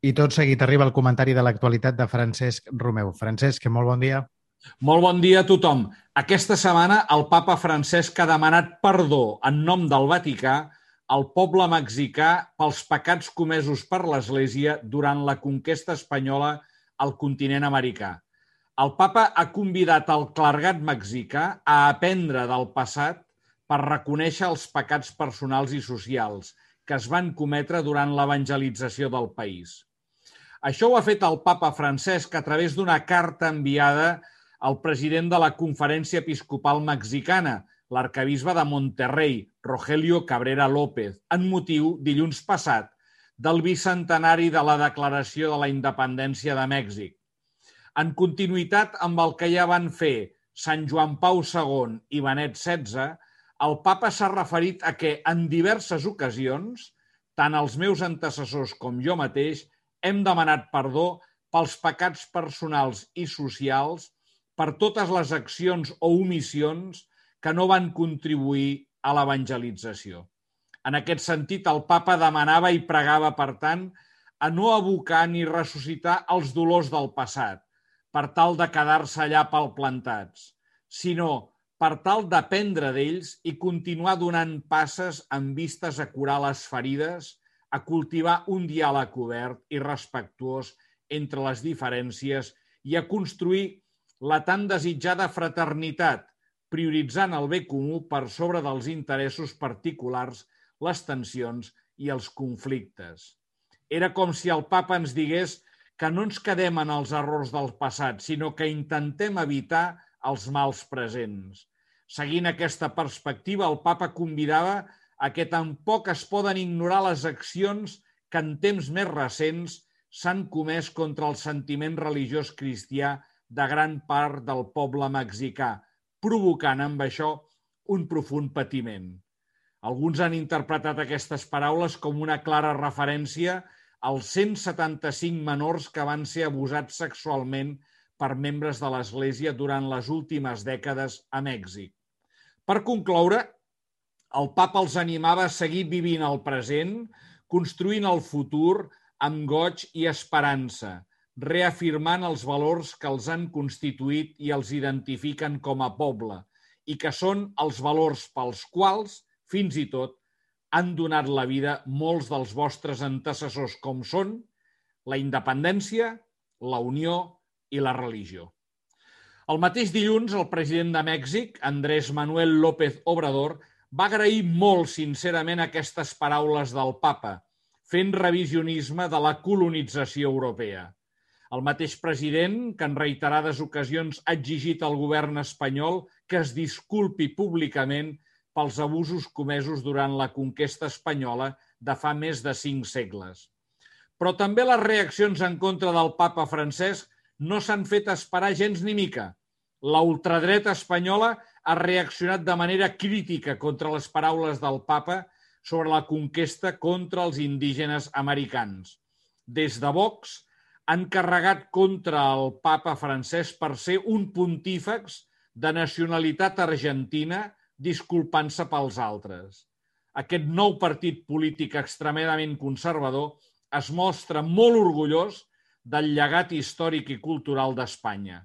I tot seguit arriba el comentari de l'actualitat de Francesc Romeu. Francesc, molt bon dia. Molt bon dia a tothom. Aquesta setmana el papa Francesc ha demanat perdó en nom del Vaticà al poble mexicà pels pecats comesos per l'Església durant la conquesta espanyola al continent americà. El papa ha convidat el clergat mexicà a aprendre del passat per reconèixer els pecats personals i socials que es van cometre durant l'evangelització del país. Això ho ha fet el papa Francesc a través d'una carta enviada al president de la Conferència Episcopal Mexicana, l'arquebisbe de Monterrey, Rogelio Cabrera López, en motiu, dilluns passat, del bicentenari de la Declaració de la Independència de Mèxic. En continuïtat amb el que ja van fer Sant Joan Pau II i Benet XVI, el papa s'ha referit a que en diverses ocasions, tant els meus antecessors com jo mateix, hem demanat perdó pels pecats personals i socials per totes les accions o omissions que no van contribuir a l'evangelització. En aquest sentit, el papa demanava i pregava, per tant, a no evocar ni ressuscitar els dolors del passat, per tal de quedar-se allà palplantats, sinó per tal d'aprendre d'ells i continuar donant passes amb vistes a curar les ferides, a cultivar un diàleg obert i respectuós entre les diferències i a construir la tan desitjada fraternitat, prioritzant el bé comú per sobre dels interessos particulars, les tensions i els conflictes. Era com si el papa ens digués que no ens quedem en els errors del passat, sinó que intentem evitar els mals presents. Seguint aquesta perspectiva, el papa convidava a que tampoc es poden ignorar les accions que en temps més recents s'han comès contra el sentiment religiós cristià de gran part del poble mexicà, provocant amb això un profund patiment. Alguns han interpretat aquestes paraules com una clara referència als 175 menors que van ser abusats sexualment per membres de l'Església durant les últimes dècades a Mèxic. Per concloure, el papa els animava a seguir vivint el present, construint el futur amb goig i esperança, reafirmant els valors que els han constituït i els identifiquen com a poble, i que són els valors pels quals, fins i tot, han donat la vida molts dels vostres antecessors, com són la independència, la unió i la religió. El mateix dilluns, el president de Mèxic, Andrés Manuel López Obrador, va agrair molt sincerament aquestes paraules del papa, fent revisionisme de la colonització europea. El mateix president, que en reiterades ocasions ha exigit al govern espanyol que es disculpi públicament pels abusos comesos durant la conquesta espanyola de fa més de 5 segles. Però també les reaccions en contra del papa Francesc no s'han fet esperar gens ni mica. La ultradreta espanyola ha reaccionat de manera crítica contra les paraules del papa sobre la conquesta contra els indígenes americans. Des de Vox han carregat contra el papa Francesc per ser un pontífex de nacionalitat argentina disculpant-se pels altres. Aquest nou partit polític extremadament conservador es mostra molt orgullós del llegat històric i cultural d'Espanya.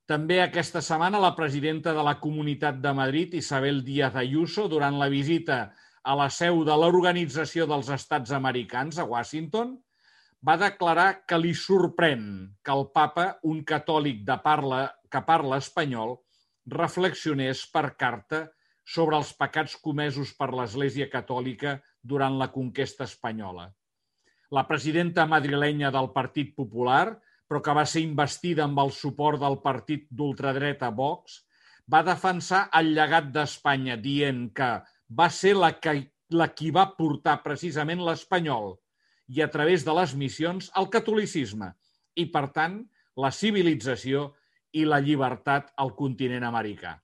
També aquesta setmana la presidenta de la Comunitat de Madrid, Isabel Díaz Ayuso, durant la visita a la seu de l'Organització dels Estats Americans a Washington, va declarar que li sorprèn que el papa, un catòlic que parla espanyol, reflexionés per carta sobre els pecats comesos per l'Església Catòlica durant la conquesta espanyola. La presidenta madrilenya del Partit Popular, però que va ser investida amb el suport del partit d'ultradreta Vox, va defensar el llegat d'Espanya dient que va ser la qui va portar precisament l'espanyol i a través de les missions el catolicisme i, per tant, la civilització i la llibertat al continent americà.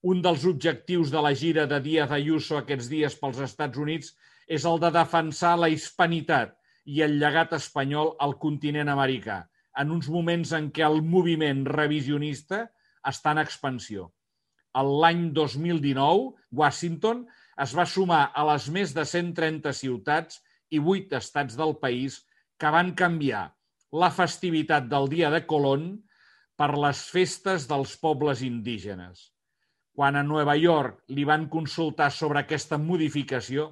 Un dels objectius de la gira de Díaz Ayuso aquests dies pels Estats Units és el de defensar la hispanitat i el llegat espanyol al continent americà, en uns moments en què el moviment revisionista està en expansió. L'any 2019, Washington es va sumar a les més de 130 ciutats i 8 estats del país que van canviar la festivitat del dia de Colón per les festes dels pobles indígenes. Quan a Nova York li van consultar sobre aquesta modificació,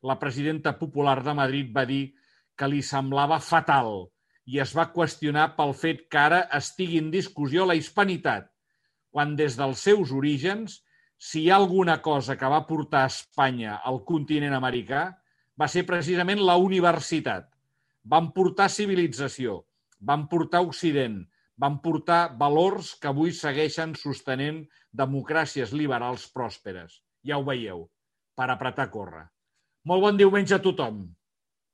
la presidenta popular de Madrid va dir que li semblava fatal i es va qüestionar pel fet que ara estigui en discussió la hispanitat, quan des dels seus orígens, si hi ha alguna cosa que va portar a Espanya al continent americà, va ser precisament la universitat. Van portar civilització, van portar Occident, van portar valors que avui segueixen sostenent democràcies liberals pròsperes. Ja ho veieu, per apretar a córrer. Molt bon diumenge a tothom.